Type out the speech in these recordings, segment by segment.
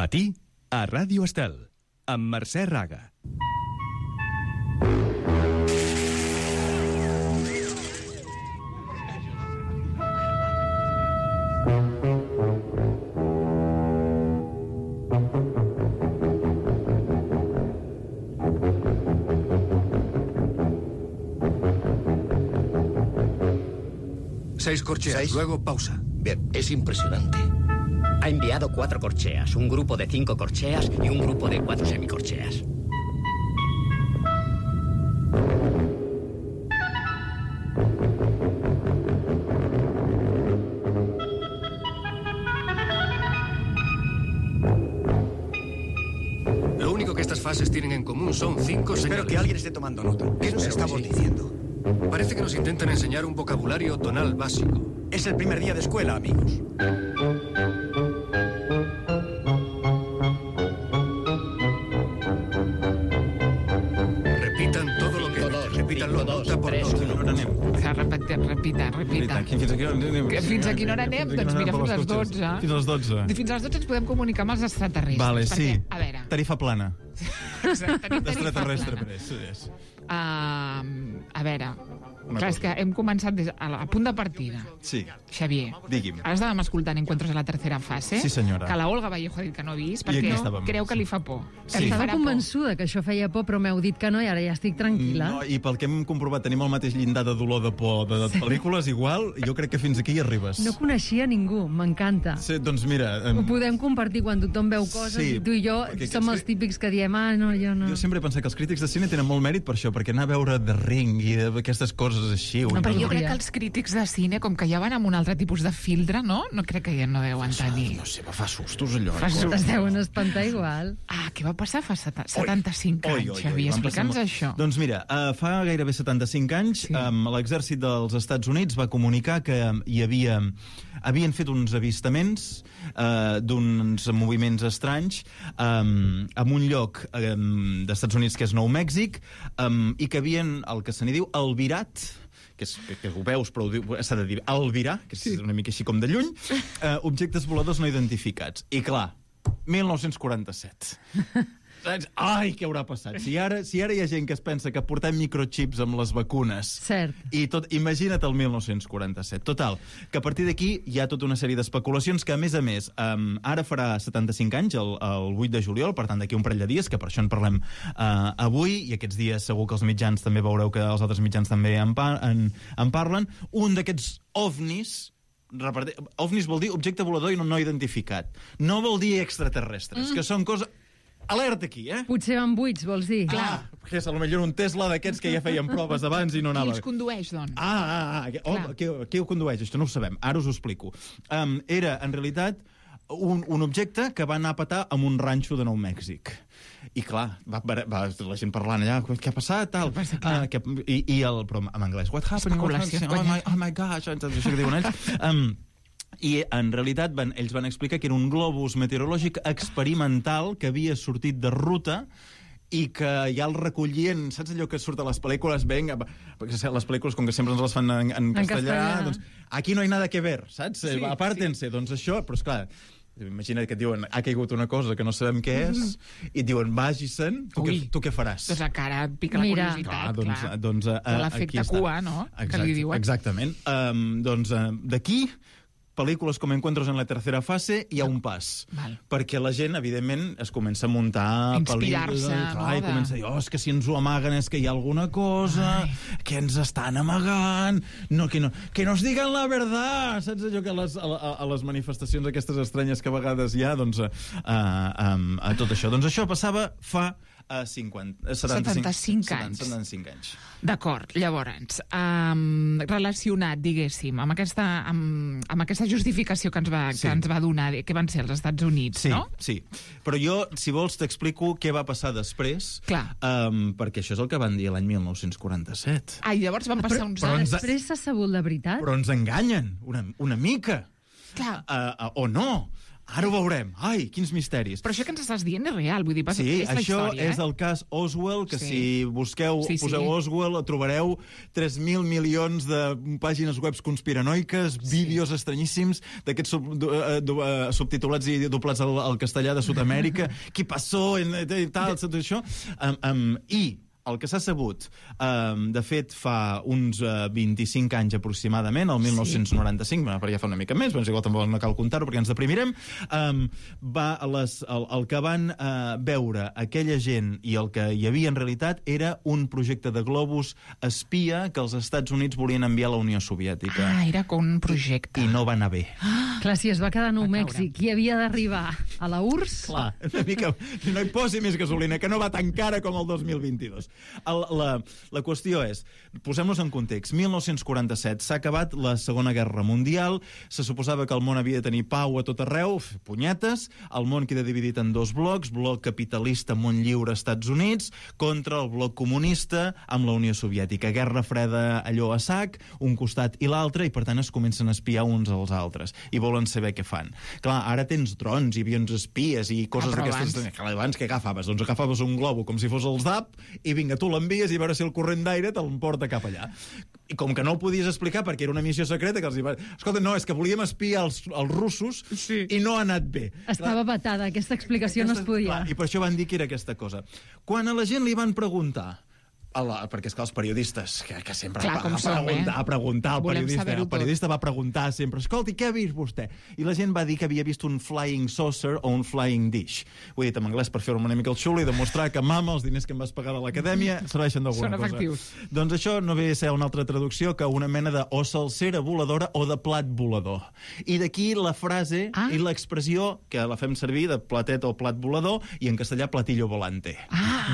Matí a Ràdio Estel, amb Mercè Raga. Seis corcheas, luego pausa. Bien, es impresionante. Ha enviado 4 corcheas, un grupo de 5 corcheas y un grupo de 4 semicorcheas. Lo único que estas fases tienen en común son 5 señales. Espero que alguien esté tomando nota. ¿Qué nos estamos diciendo? Parece que nos intentan enseñar un vocabulario tonal básico. Es el primer día de escuela, amigos. Repitan todo lo que... Repítanlo nota por nota. Repita. Fins a quina hora anem? Doncs mira, fins a les 12. Fins a les 12. Fins a les 12 ens podem comunicar amb els extraterrestres. Vale, sí. Perquè, a veure... Tarifa plana. Tenim D'extraterrestre, plana. és. A veure... Clar, és que hem començat a punt de partida. Sí. Xavier, Digui'm. ara estàvem escoltant Encuentros a la tercera fase. Sí, senyora. Que la Olga Vallejo ha dit que no ha vist, I aquí perquè estàvem. creu que li fa por. Sí. Que li Estava farà por. convençuda que això feia por, però m'heu dit que no i ara ja estic tranquil·la. No, i pel que hem comprovat tenim el mateix llindar de dolor de por de pel·lícules, igual, jo crec que fins aquí hi arribes. No coneixia ningú, m'encanta. Sí, doncs mira... Ho podem compartir quan tothom veu coses Sí, i tu i jo perquè som els típics que diem no, jo no. Jo sempre he pensat que els crítics de cine tenen molt mèrit per això, perquè anar a veure The Ring i aquestes coses així... No, però jo no. crec que els crítics de cine, com que ja van amb un altre tipus de filtre, no? No crec que ja no deuen tenir. No sé, fa sustos allò. Fa sustos. Es deuen espantar igual. Què va passar fa 75 anys, Xavier? van passar Explica'ns molt. això. Doncs mira, fa gairebé 75 anys Sí. l'exèrcit dels Estats Units va comunicar que havien fet uns avistaments d'uns moviments estranys en un lloc d'Estats Units que és Nou Mèxic i que havien el que se n'hi diu albirat, que ho veus, però s'ha de dir albirar, que és una mica així com de lluny, objectes voladors no identificats. I clar, 1947. Saps? Ai, què haurà passat? Si ara hi ha gent que es pensa que portem microchips amb les vacunes... Cert. I tot, imagina't el 1947. Total, que a partir d'aquí hi ha tota una sèrie d'especulacions que, a més, ara farà 75 anys, el 8 de juliol, per tant, d'aquí un parell de dies, que per això en parlem avui, i aquests dies segur que els mitjans també veureu que els altres mitjans també en parlen. Un d'aquests ovnis... OVNIs vol dir objecte volador no identificat. No vol dir extraterrestres, que són coses... Alerta aquí, Potser van buits, vols dir? Que és potser un Tesla d'aquests que ja feien proves abans i no anava... Qui els condueix, doncs? Qui ho condueix? Això no ho sabem. Ara us ho explico. Era, en realitat, un objecte que va anar a petar en un ranxo de Nou Mèxic. I clar, va la gent parlant allà, què ha passat, tal. Però en anglès, what happened? Oh my gosh, això que diuen ells. I en realitat ells van explicar que era un globus meteorològic experimental que havia sortit de ruta i que ja el recollien, saps allò que surt a les pel·lícules, perquè les pel·lícules com que sempre ens les fan en castellà, doncs aquí no hi ha nada que ver, saps? Sí, apártense, doncs això, però esclar, imagina't que et diuen, ha caigut una cosa que no sabem què és, i et diuen, vagi-se'n, tu què faràs? Doncs encara pica la curiositat, clar. Doncs l'efecte cua, no? Que li diuen. Exactament. Doncs d'aquí pel·lícules com Encuentros en la tercera fase hi ha un pas. Perquè la gent, evidentment, es comença a muntar pel·lícules. Inspirar-se. I comença a dir, és que si ens ho amaguen és que hi ha alguna cosa, que ens estan amagant, que nos digan la verdad. Saps allò que a les manifestacions aquestes estranyes que a vegades hi ha, doncs, a tot això. Doncs això passava fa 75 anys. D'acord, llavors, relacionat, diguéssim, amb aquesta justificació que ens va donar, que van ser els Estats Units, no? Sí, però jo, si vols, t'explico què va passar després, perquè això és el que van dir l'any 1947. I llavors van passar uns anys. Després s'ha sabut la veritat? Però ens enganyen, una mica. Clar. O no. Ara ho veurem. Ai, quins misteris. Però això que ens estàs dient és real, vull dir, Sí, és la això història, és el cas Oswald, que Sí. si busqueu, Sí, sí. poseu Oswald, trobareu 3.000 milions de pàgines web conspiranoiques, vídeos estranyíssims d'aquests subtitulats i doblats al castellà de Sud-amèrica. Qui passó, i tal, tot això. I el que s'ha sabut, de fet, fa uns 25 anys aproximadament, el 1995, perquè ja fa una mica més, però igual tampoc no cal comptar-ho perquè ens deprimirem, el que van veure aquella gent i el que hi havia en realitat era un projecte de globus espia que els Estats Units volien enviar a la Unió Soviètica. Ah, era com un projecte. I no va anar bé. Clar, si es va quedar a Nou Mèxic i havia d'arribar a la URSS... Clar, una mica... No hi posi més gasolina, que no va tan cara com el 2022. La qüestió és, posem-nos en context, 1947, s'ha acabat la Segona Guerra Mundial, se suposava que el món havia de tenir pau a tot arreu, punyetes, el món queda dividit en dos blocs, bloc capitalista, món lliure, Estats Units, contra el bloc comunista amb la Unió Soviètica. Guerra freda allò a sac, un costat i l'altre, i per tant es comencen a espiar uns als altres, i volen saber què fan. Clar, ara tens drons i avions espies i coses d'aquestes... Abans què agafaves? Doncs agafaves un globo com si fos el ZAP i vinga, tu l'envies i a veure si el corrent d'aire te'l porta cap allà. I com que no ho podies explicar perquè era una missió secreta, que els va... Escolta, no, és que volíem espiar els russos i no ha anat bé. Estava vetada, aquesta explicació no es podia. Clar, i per això van dir que era aquesta cosa. Quan a la gent li van preguntar, perquè és que els periodistes, que sempre Clar, a preguntar, Volem saber-ho el periodista va preguntar sempre, escolti, què ha vist vostè? I la gent va dir que havia vist un flying saucer o un flying dish. Ho he dit en anglès per fer-me una mica el xulo i demostrar que, mama, els diners que em vas pagar a l'acadèmia serveixen d'alguna cosa. Són efectius. Doncs això no ve a ser una altra traducció que una mena de o salsera voladora o de plat volador. I d'aquí la frase i l'expressió, que la fem servir de platet o plat volador, i en castellà platillo volante.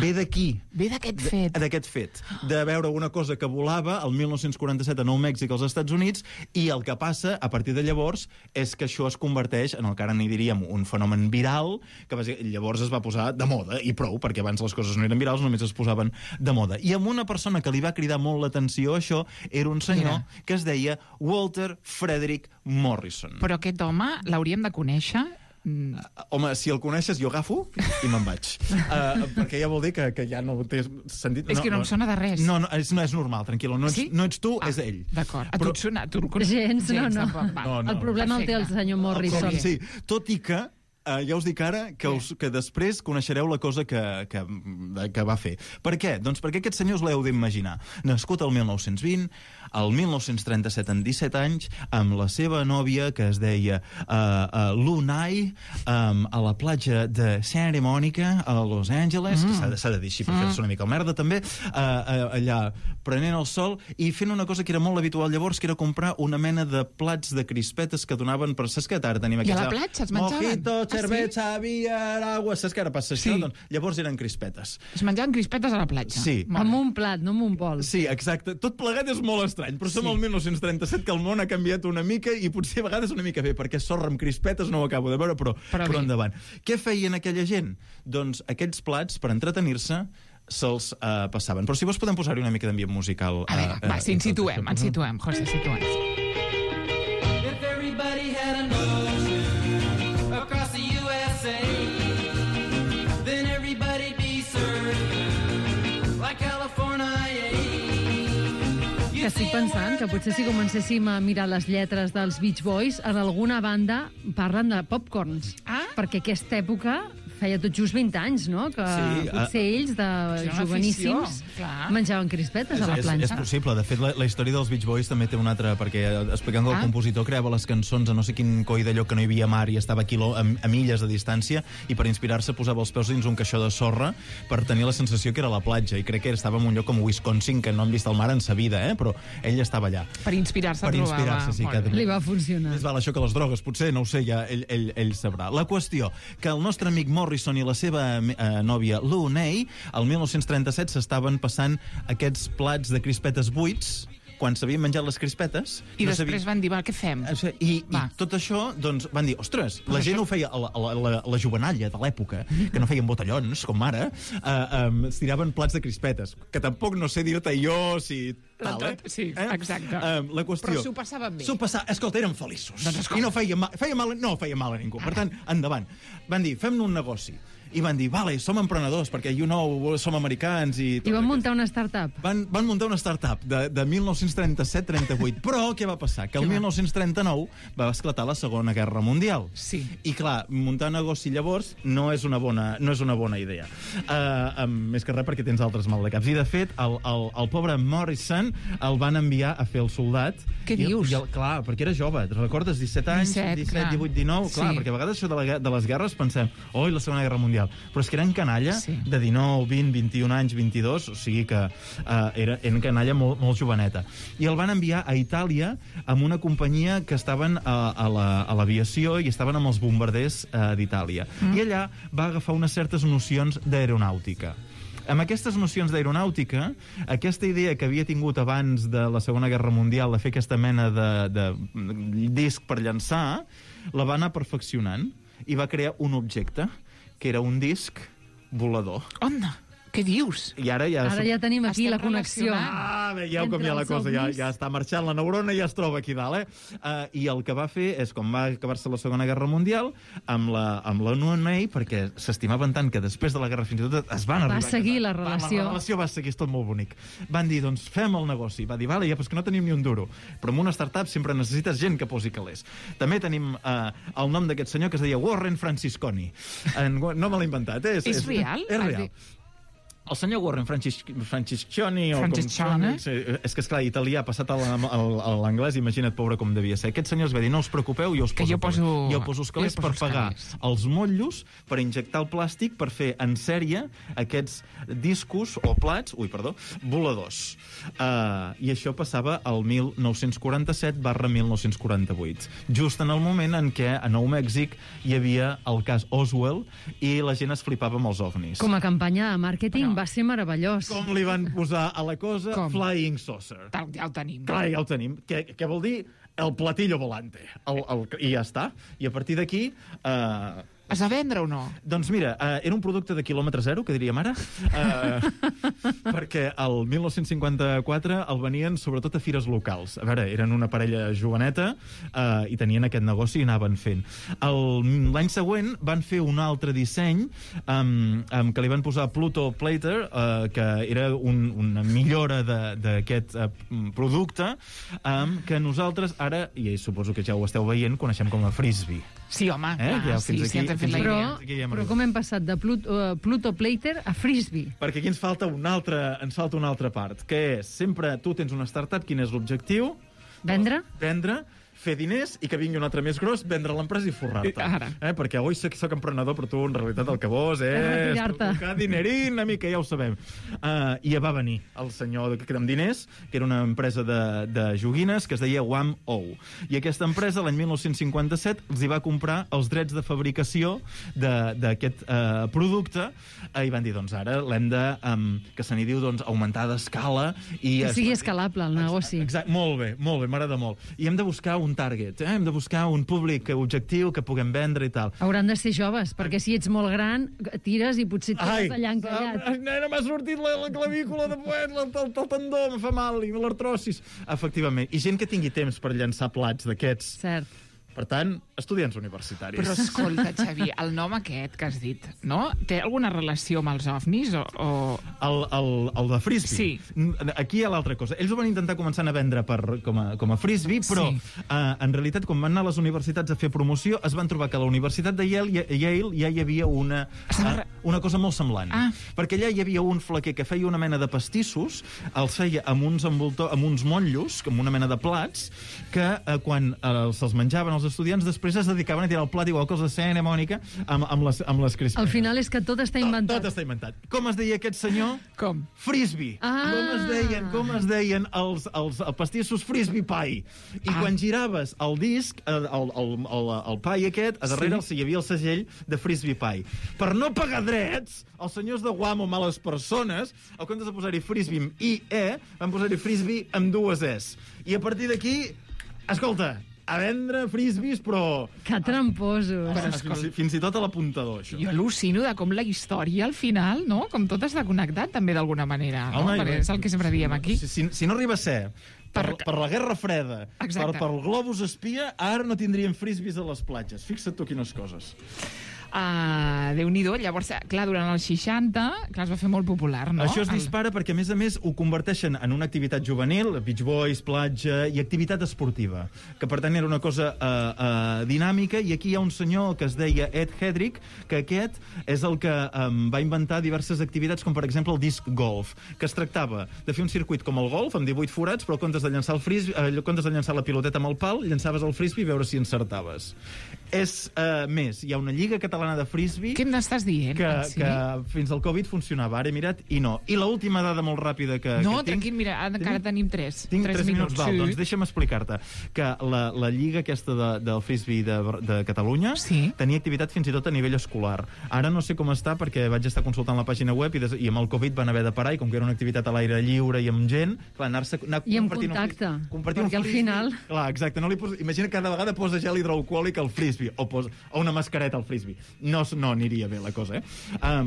Ve d'aquí. Ve d'aquest fet. D'aquest fet, de veure una cosa que volava el 1947 a Nou Mèxic als Estats Units, i el que passa a partir de llavors és que això es converteix en el que ara n'hi diríem un fenomen viral, que llavors es va posar de moda, i prou, perquè abans les coses no eren virals, només es posaven de moda. I amb una persona que li va cridar molt l'atenció això, era un senyor que es deia Walter Frederick Morrison. Però aquest home l'hauríem de conèixer... Home, si el coneixes, jo agafo i me'n vaig. Perquè ja vol dir que ja no té sentit... És que no em sona de res. No, és normal, tranquil·la. No ets tu, és ell. D'acord. A tu et sona? Gens, no. No. El problema el té el senyor Morrison. Sí, tot i que ja us dic ara que després coneixereu la cosa que va fer. Per què? Doncs perquè aquest senyor us l'heu d'imaginar. Nascut el 1920, el 1937 amb 17 anys, amb la seva nòvia, que es deia Lunay, a la platja de Santa Mònica, a Los Angeles, que s'ha de dir així perquè és una mica merda també, allà prenent el sol i fent una cosa que era molt habitual llavors, que era comprar una mena de plats de crispetes que donaven per... Saps que ara tenim aquests... I a la platja es menjaven? Mojito, cerveza, beer, agua... Saps que ara passa això? Doncs, llavors eren crispetes. Es menjaven crispetes a la platja? Sí. Amb un plat, no amb un bol. Sí, exacte. Tot plegat és molt estrany, però som al 1937, que el món ha canviat una mica i potser a vegades una mica bé, perquè sorra amb crispetes no ho acabo de veure, però endavant. Què feien aquella gent? Doncs aquests plats, per entretenir-se, se'ls passaven. Però si vols podem posar-hi una mica d'ambient musical. A veure, va, si ens situem, José, situem. If everybody had an ocean across the USA, then everybody'd be served like California. Que estic pensant que potser si comencéssim a mirar les lletres dels Beach Boys, en alguna banda parlen de popcorns. Perquè aquesta època feia tot just 20 anys, no? Que potser ells, de joveníssims, menjaven crispetes a la planxa. És possible. De fet, la història dels Beach Boys també té una altra, perquè explicant que el compositor creava les cançons a no sé quin coi d'allò que no hi havia mar i estava a milles de distància, i per inspirar-se posava els peus dins un caixó de sorra per tenir la sensació que era la platja, i crec que estava en un lloc com Wisconsin, que no han vist el mar en sa vida, però ell estava allà. Per inspirar-se trobava. Sí, li va funcionar. Més val això que les drogues, potser, no ho sé, ja ell sabrà. La qüestió, que el nostre amic Morrison i la seva nòvia Lunay, el 1937 s'estaven passant aquests plats de crispetes buits quan s'havien menjat les crispetes... I després van dir, va, què fem? I tot això, doncs, van dir, ostres, la gent ho feia, la jovenalla de l'època, que no feien botellons, com ara, es tiraven plats de crispetes, que tampoc no sé dir-te jo si... Sí, exacte. La qüestió... Però s'ho passaven bé. Escolta, eren feliços. Doncs I no feia mal a ningú. Per tant, endavant. Van dir, fem-ne un negoci. I van dir, vale, som emprenedors, perquè, som americans i... I van muntar una startup. Van muntar una startup de 1937-38. Però què va passar? Que el 1939 va esclatar la Segona Guerra Mundial. Sí. I, clar, muntar negoci llavors no és una bona idea. Més que res perquè tens altres maldecaps. I, de fet, el pobre Morrison el van enviar a fer el soldat. Què dius? Clar, perquè era jove. Recordes? 17 anys? 17, 18, 19? Clar, perquè a vegades això de les guerres pensem, oi, la Segona Guerra Mundial. Però és que eren canalla de 19, 20, 21 anys, 22, o sigui que eren canalla molt joveneta. I el van enviar a Itàlia amb una companyia que estaven a l'aviació i estaven amb els bombarders d'Itàlia. I allà va agafar unes certes nocions d'aeronàutica. Amb aquestes nocions d'aeronàutica, aquesta idea que havia tingut abans de la Segona Guerra Mundial de fer aquesta mena de disc per llançar, la va anar perfeccionant i va crear un objecte que era un disc volador. Onda, què dius? I ara ja tenim aquí la connexió. Veieu com ja la cosa ja està marxant, la neurona ja es troba aquí dalt, I el que va fer és, com va acabar-se la Segona Guerra Mundial, amb la UNA, perquè s'estimaven tant que després de la guerra fins i tot es van arribar... Va seguir la relació. La relació va seguir, és tot molt bonic. Van dir, doncs fem el negoci. Va dir, vale, ja, però és que no tenim ni un duro. Però en una startup sempre necessites gent que posi calés. També tenim el nom d'aquest senyor que es deia Warren Francisconi. No me l'he inventat, És real? És real. El senyor Warren Francisconi... Franciscone? És que, esclar, italià passat a l'anglès, imagina't, pobre, com devia ser. Aquest senyor es va dir, no us preocupeu, jo us poso els calés per pagar els motllos, per injectar el plàstic, per fer en sèrie aquests discos o plats, voladors. I això passava al 1947/1948, just en el moment en què a Nou Mèxic hi havia el cas Oswald i la gent es flipava amb els ovnis. Com a campanya de màrqueting va ser meravellós. Com li van posar a la cosa? Com? Flying Saucer. Ja ho tenim. Clar, ja ho tenim. Què vol dir? El platillo volante. I ja està. I a partir d'aquí... Es va vendre o no? Doncs mira, era un producte de quilòmetre zero, que diríem ara, perquè el 1954 el venien sobretot a fires locals. A veure, eren una parella joveneta i tenien aquest negoci i anaven fent. L'any següent van fer un altre disseny que li van posar Pluto Plater, que era una millora d'aquest producte, que nosaltres ara, i suposo que ja ho esteu veient, coneixem com a Frisbee. Sí, home, sí, ens hem fet la idea. Però com hem passat de Pluto Plater a Frisbee? Perquè aquí ens falta una altra part, que és, sempre tu tens una startup, quin és l'objectiu? Vendre, fer diners i que vingui un altre més gros, vendre l'empresa i forrar-te. Perquè avui soc emprenedor, però tu en realitat el que vols és tocar dinerín, una mica, ja ho sabem. I ja va venir el senyor amb diners, que era una empresa de joguines que es deia Wham-O. I aquesta empresa, l'any 1957, els hi va comprar els drets de fabricació d'aquest producte i van dir, doncs ara l'hem de, que se n'hi diu, augmentar d'escala. Que sigui escalable el negoci. Exacte, molt bé, m'agrada molt. I hem de buscar un target, hem de buscar un públic objectiu que puguem vendre i tal. Hauran de ser joves, perquè si ets molt gran, tires i potser tires allà encallat. Nena, m'ha sortit la clavícula de poet, el tendó, em fa mal, i l'artrosis. Efectivament. I gent que tingui temps per llançar plats d'aquests. Cert. Per tant, estudiants universitaris. Però escolta, Xavi, el nom aquest que has dit, no? Té alguna relació amb els ovnis o... El de Frisbee? Sí. Aquí hi ha l'altra cosa. Ells ho van intentar començar a vendre com a Frisbee, però en realitat, quan van anar a les universitats a fer promoció, es van trobar que a la Universitat de Yale ja hi havia una cosa molt semblant. Perquè allà hi havia un flequer que feia una mena de pastissos, els feia amb uns motllos, amb una mena de plats, que quan se'ls menjaven els els estudiants després es dedicaven a tirar el plat igual que els de Sena, Mònica, amb les crispetes. Al final és que tot està inventat. Tot està inventat. Com es deia aquest senyor? Com? Frisbee. Com es deien els pastissos Frisbee Pie. I quan giraves el disc, el pie aquest, a darrere hi havia el segell de Frisbee Pie. Per no pagar drets, els senyors de Guam o males persones, al comptes de posar-hi Frisbee amb I-E, van posar-hi Frisbee amb 2 Es. I a partir d'aquí, escolta, a vendre frisbees, però... Que tramposos. Fins i tot a l'apuntador, això. Jo al·lucino de com la història, al final, no? Com tot està connectat, també, d'alguna manera. No? Perquè és el que sempre diem aquí. Si no arriba a ser per la Guerra Freda, per el globus espia, ara no tindríem frisbees a les platges. Fixa't tu quines coses. Déu-n'hi-do. Llavors, clar, durant els 60, clar, es va fer molt popular, no? Això es dispara perquè, a més, ho converteixen en una activitat juvenil, Beach Boys, platja, i activitat esportiva, que per tant era una cosa dinàmica, i aquí hi ha un senyor que es deia Ed Hedrick, que aquest és el que va inventar diverses activitats, com per exemple el disc golf, que es tractava de fer un circuit com el golf, amb 18 forats, però en comptes de llançar en comptes de llançar la piloteta amb el pal, llançaves el frisbee i veure si encertaves. És més, hi ha una lliga catalana de frisbee... Què m'estàs dient? Que fins al Covid funcionava. Ara he mirat i no. I l'última dada molt ràpida que tinc... No, tranquil, mira, encara tenim 3. Tinc 3 minuts. Val, doncs deixa'm explicar-te que la lliga aquesta del frisbee de Catalunya tenia activitat fins i tot a nivell escolar. Ara no sé com està perquè vaig estar consultant la pàgina web i amb el Covid van haver de parar, i com que era una activitat a l'aire lliure i amb gent, clar, anar i amb contacte, perquè al final... Clar, exacte. Imagina que cada vegada posa gel hidroalcohòlic al frisbee o una mascareta al frisbee. No aniria bé la cosa,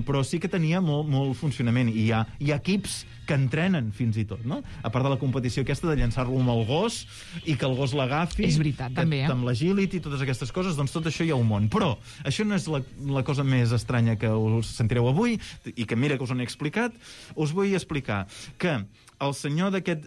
però sí que tenia molt funcionament, i hi ha equips que entrenen fins i tot, no? A part de la competició aquesta de llançar-lo amb el gos i que el gos l'agafi. És veritat, també, amb l'agility i totes aquestes coses, doncs tot això hi ha un món. Però això no és la cosa més estranya que us sentireu avui, i que mira que us ho he explicat. Us vull explicar que el senyor que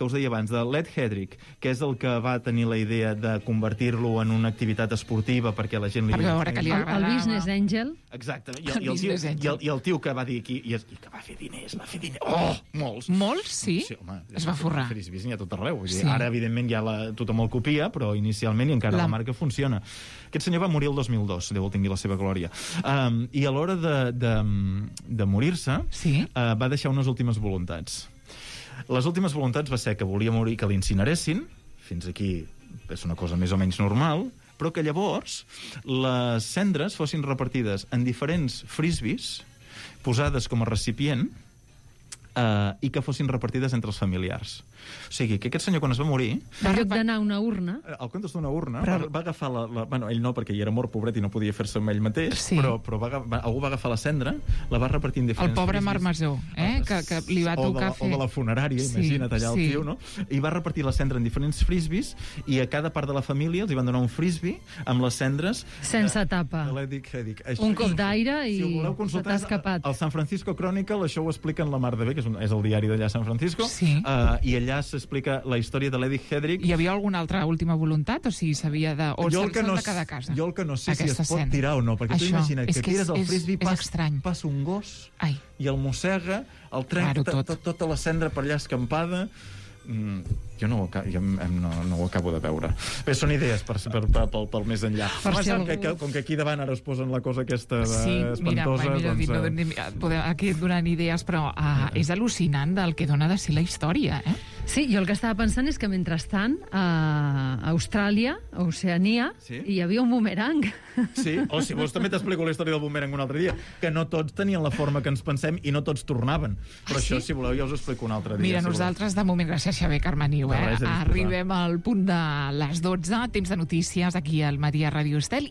us deia abans, de l'Ed Hedrick, que és el que va tenir la idea de convertir-lo en una activitat esportiva perquè la gent li... El business angel. Exacte. I el tio que va dir aquí, i que va fer diners. Oh, molts. Molts, sí? Home, es va forrar. Frisbees n'hi ha tot arreu. Ara, evidentment, ja tothom el copia, però inicialment i encara la marca funciona. Aquest senyor va morir el 2002, Déu el tingui la seva glòria. I a l'hora de morir-se, va deixar unes últimes voluntats. Les últimes voluntats va ser que volia morir, que l'incineressin, fins aquí és una cosa més o menys normal, però que llavors les cendres fossin repartides en diferents frisbees, posades com a recipient, i que fossin repartides entre els familiars. O sigui, que aquest senyor, quan es va morir... En lloc d'anar a una urna... Al comptes d'una urna, va agafar bueno, ell no, perquè hi era mort, pobret, i no podia fer-se amb ell mateix, però algú va agafar la cendra, la va repartir en diferents... El pobre Marmesó, que li va tocar fer... O de la funerària, imagina't allà el tio, no? I va repartir la cendra en diferents frisbees, i a cada part de la família els hi van donar un frisbee amb les cendres... Sense tapa. Un cop d'aire i se t'ha escapat. El San Francisco Chronicle, això ho explica en la mar de bé, que és el diari d'allà a San Francisco, i allà s'explica la història de l'Eddie Hedrick. Hi havia alguna altra última voluntat? O sigui, s'havia de... O de cada casa? Jo el que no sé si es pot tirar o no, perquè tu imagina't que tires el frisbee, passa un gos i el mossega, el trenca, tota la cendra per allà escampada... Jo no ho acabo de veure. Bé, són idees pel més enllà. Com que aquí davant ara es posen la cosa aquesta espantosa... Aquí donant idees, però és al·lucinant del que dona de ser la història, Sí, jo el que estava pensant és que mentrestant a Austràlia, a Oceania, hi havia un bumerang. Sí, o si vols també t'explico la història del bumerang un altre dia, que no tots tenien la forma que ens pensem i no tots tornaven. Però això, si voleu, ja us ho explico un altre dia. Mira, nosaltres, de moment, gràcies Xavier Carmeniu, arribem al punt de les 12, temps de notícies aquí al Matí a Ràdio Estel,